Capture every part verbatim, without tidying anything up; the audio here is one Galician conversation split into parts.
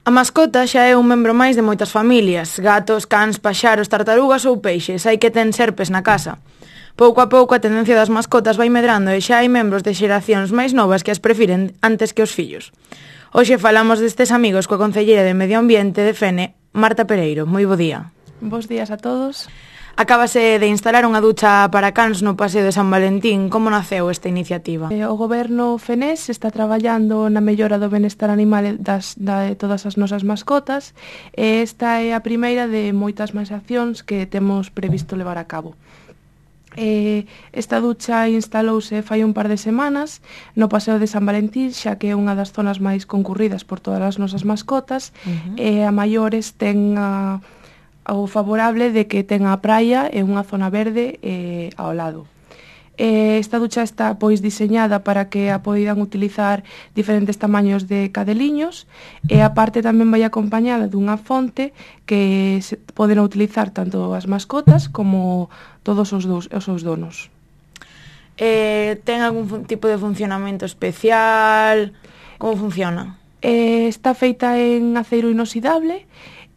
A mascota xa é un membro máis de moitas familias, gatos, cans, paxaros, tartarugas ou peixes, hai que ten serpes na casa. Pouco a pouco a tendencia das mascotas vai medrando e xa hai membros de xeracións máis novas que as prefiren antes que os fillos. Hoxe falamos destes amigos coa concelleira de Medio Ambiente de Fene, Marta Pereiro. Moi bo día. Bos días a todos. Acábase de instalar unha ducha para cans no Paseo de San Valentín. Como naceu esta iniciativa? O goberno fenés está traballando na mellora do benestar animal das, de todas as nosas mascotas e esta é a primeira de moitas máis accións que temos previsto levar a cabo. Eh, esta ducha instalouse fai un par de semanas no Paseo de San Valentín, xa que é unha das zonas máis concurridas por todas as nosas mascotas. Uh-huh. E a maiores ten a o favorable de que ten a praia e unha zona verde eh, ao lado. Eh, esta ducha está pois diseñada para que a poidan utilizar diferentes tamaños de cadeliños e a parte tamén vai acompañada dunha fonte que se poden utilizar tanto as mascotas como todos os, dos, os seus donos. Eh, ten algún tipo de funcionamento especial? Como funciona? Eh, está feita en aceiro inoxidable.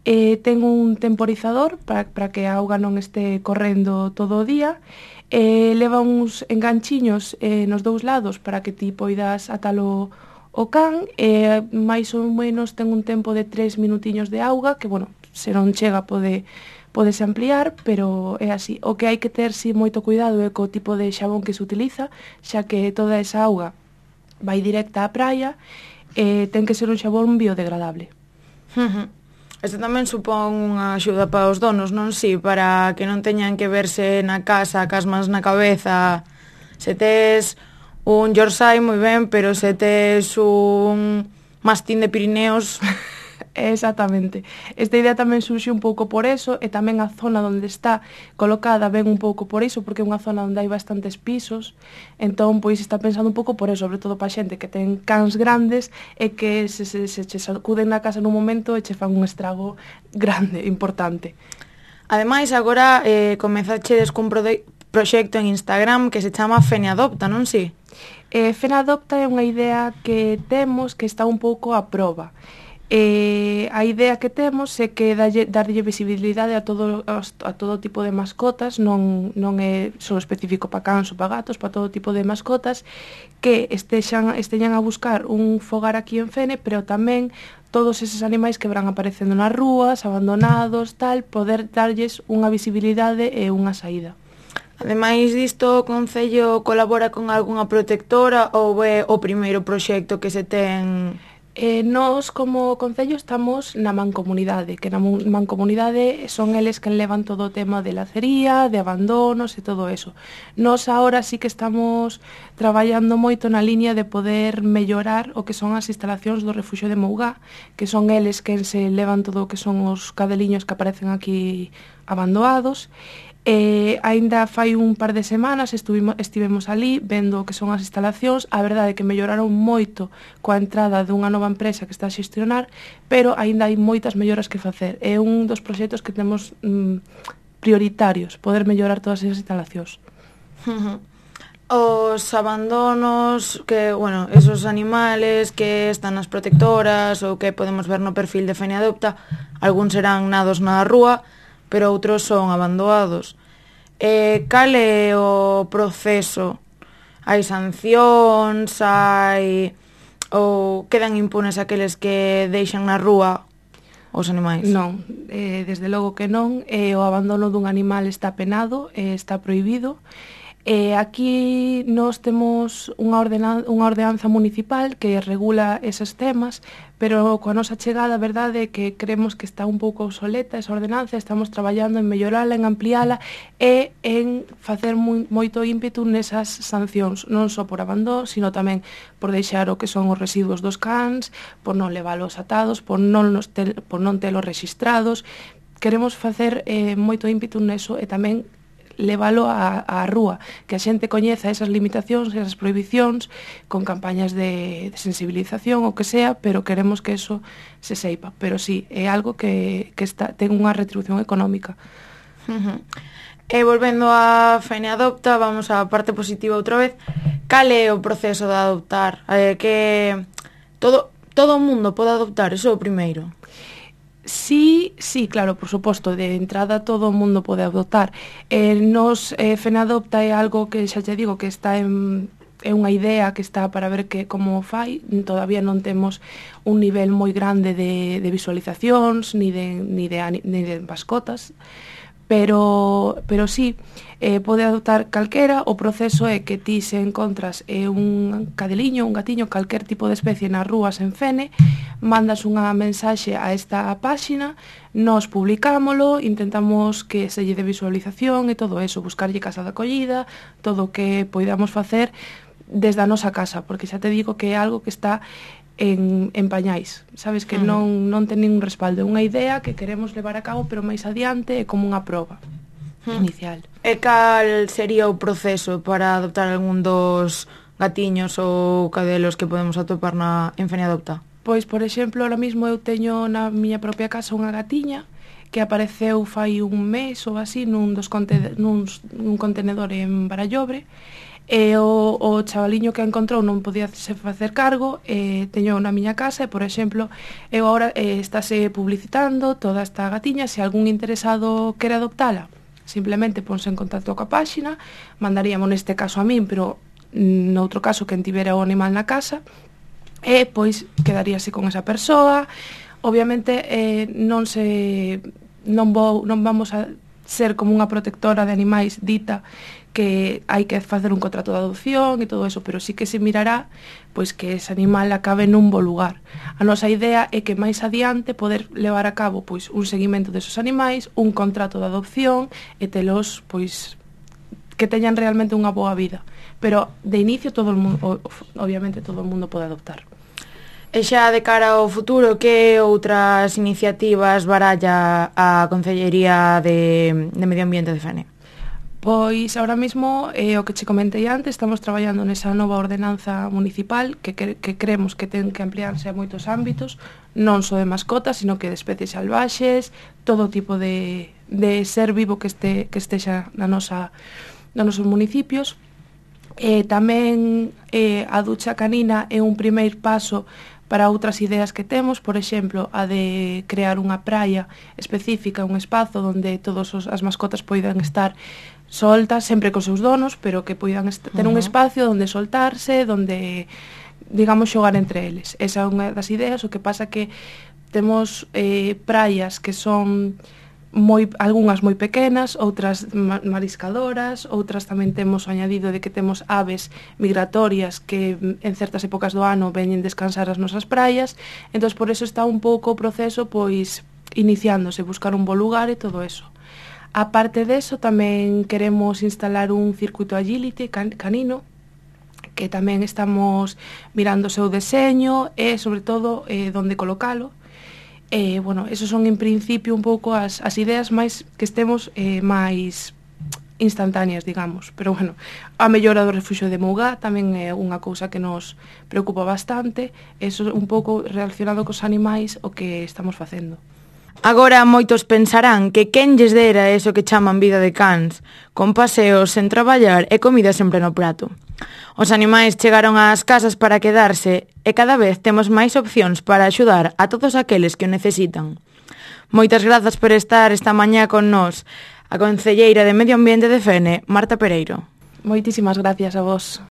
Eh, ten un temporizador para, para que a auga non este correndo todo o día. Eh, leva uns enganchiños eh, nos dous lados para que ti poidas atalo o can. Eh, máis ou menos ten un tempo de tres minutiños de auga, que, bueno, se non chega pode, podese ampliar, pero é así. O que hai que ter si moito cuidado é co tipo de xabón que se utiliza, xa que toda esa auga vai directa á praia, eh, ten que ser un xabón biodegradable. Uh-huh. Isto tamén supón unha axuda para os donos, non si? Para que non teñan que verse na casa cas mans na cabeza. Se tes un Yorkshire, moi ben, pero se tes un mastín de Pirineos... Exactamente. Esta idea tamén surxe un pouco por eso e tamén a zona onde está colocada ven un pouco por iso, porque é unha zona onde hai bastantes pisos, entón pois está pensando un pouco por eso, sobre todo para xente que ten cans grandes e que se, se, se che sacuden na casa nun momento e che fan un estrago grande, importante. Ademais, agora eh, comezachedes cun pro- proxecto en Instagram que se chama Fene Adopta, non si? Eh, Fene Adopta é unha idea que temos que está un pouco a proba. Eh, a idea que temos é que dalle, darlle visibilidade a todo, a todo tipo de mascotas, non, non é só específico para cans ou para gatos, para todo tipo de mascotas que estexan, esteñan a buscar un fogar aquí en Fene, pero tamén todos eses animais que van aparecendo nas rúas, abandonados, tal, poder darlles unha visibilidade e unha saída. Ademais disto, o Concello colabora con algunha protectora ou é o primeiro proxecto que se ten... Eh, nós, como Concello, estamos na mancomunidade, que na mancomunidade son eles que levan todo o tema de lacería, de abandonos e todo eso. Nós agora sí que estamos traballando moito na liña de poder mellorar o que son as instalacións do Refuxio de Mougá, que son eles que se levan todo o que son os cadeliños que aparecen aquí abandonados. Eh, aínda fai un par de semanas estuvimos, estivemos ali vendo o que son as instalacións. A verdade é que melloraron moito coa entrada dunha nova empresa que está a xestionar, pero aínda hai moitas melloras que facer. É un dos proxectos que temos mm, prioritarios, poder mellorar todas esas instalacións. Uh-huh. Os abandonos, que, bueno, esos animales que están nas protectoras ou que podemos ver no perfil de Fene Adopta, algúns serán nados na rúa, pero outros son abandonados. Eh, cal é o proceso? Hai sancións, hai... ou quedan impunes aqueles que deixan na rúa os animais? Non, eh, desde logo que non. Eh, o abandono dun animal está penado, eh, está prohibido. Eh, aquí nós temos unha, ordena, unha ordenanza municipal que regula eses temas, pero coa nosa chegada, a verdade é que creemos que está un pouco obsoleta esa ordenanza. Estamos traballando en mellorala, en ampliala e en facer moi, moito ímpetu nesas sancións, non só por abandono, sino tamén por deixar o que son os residuos dos cans, por non leválos atados, por non, nos tel, por non telos rexistrados. Queremos facer eh, moito ímpetu neso e tamén levalo á, á rúa, que a xente coñeza esas limitacións, esas prohibicións, con campañas de, de sensibilización, o que sea, pero queremos que eso se seipa. Pero sí, é algo que, que está, ten unha retribución económica. Uh-huh. E volvendo a Fene Adopta, vamos á parte positiva outra vez. Cal é o proceso de adoptar? Eh, que todo... todo o mundo pode adoptar, eso é o primeiro. Sí, sí, claro, por suposto, de entrada todo o mundo pode adoptar. Eh, nos, eh, Fenadopta é algo que xa te digo que está en... é unha idea que está para ver que como fai, todavía non temos un nivel moi grande de, de visualizacións, ni de, ni de, ni de mascotas, pero, pero sí, eh, pode adoptar calquera. O proceso é que ti se encontras eh, un cadeliño, un gatiño, calquer tipo de especie nas rúas en Fene, mandas unha mensaxe a esta páxina, nos publicámolo, intentamos que se lle de visualización e todo eso, buscarlle casa de acollida, todo o que poidamos facer desde a nosa casa, porque xa te digo que é algo que está en, en pañais, sabes, que non, non ten ningún respaldo, é unha idea que queremos levar a cabo, pero máis adiante é como unha proba inicial. E cal sería o proceso para adoptar algún dos gatiños ou cadelos que podemos atopar na, en Fenadopta? Pois, por exemplo, ahora mismo eu teño na miña propia casa unha gatiña que apareceu fai un mes ou así nun, dos conte, nun, nun contenedor en Barallobre, e o, o chavaliño que a encontrou non podía se facer cargo, e teño na miña casa e, por exemplo, eu agora eh, estáse publicitando toda esta gatiña. Se algún interesado quere adoptala, simplemente ponse en contacto coa páxina, mandaríamos neste caso a min, pero noutro caso quen tivera o animal na casa, e pois quedaríase con esa persoa. Obviamente eh, non se non vou non vamos a ser como unha protectora de animais dita que hai que facer un contrato de adopción e todo eso, pero sí que se mirará pois que ese animal acabe nun bo lugar. A nosa idea é que máis adiante poder levar a cabo pois un seguimento desos animais, un contrato de adopción e telos pois que teñan realmente unha boa vida. Pero de inicio todo o mundo, obviamente todo o mundo pode adoptar. E xa de cara ao futuro, que outras iniciativas baralla a Concellería de, de Medio Ambiente de Fene? Pois, ahora mesmo, eh, o que che comentei antes, estamos traballando nesa nova ordenanza municipal que, que, que creemos que ten que ampliarse a moitos ámbitos, non só de mascotas, sino que de especies salvaxes, todo tipo de, de ser vivo que este que estexa na nosa, nos nosos municipios. Eh, tamén eh, a ducha canina é un primeiro paso para outras ideas que temos, por exemplo, a de crear unha praia específica, un espazo onde todas as mascotas poidan estar soltas, sempre cos seus donos, pero que poidan ter un espacio onde soltarse, onde, digamos, xogar entre eles. Esa é unha das ideas. O que pasa que temos eh, praias que son moi, algunhas moi pequenas, outras mariscadoras, outras tamén temos o añadido de que temos aves migratorias que en certas épocas do ano veñen descansar as nosas praias. Entón, por eso está un pouco o proceso pois iniciándose, buscar un bo lugar e todo eso. A parte deso, tamén queremos instalar un circuito agility can canino, que tamén estamos mirando o seu deseño e, sobre todo, eh, onde colocalo. E, bueno, esos son, en principio, un pouco as, as ideas máis que estemos eh, máis instantáneas, digamos. Pero, bueno, a mellora do refuxio de Mougá tamén é unha cousa que nos preocupa bastante. Eso un pouco relacionado cos animais o que estamos facendo. Agora moitos pensarán que quen lles dera eso que chaman vida de cans, con paseos sen traballar e comida sempre no prato. Os animais chegaron ás casas para quedarse e cada vez temos máis opcións para axudar a todos aqueles que o necesitan. Moitas grazas por estar esta mañá con nós, a concelleira de Medio Ambiente de Fene, Marta Pereiro. Moitísimas gracias a vos.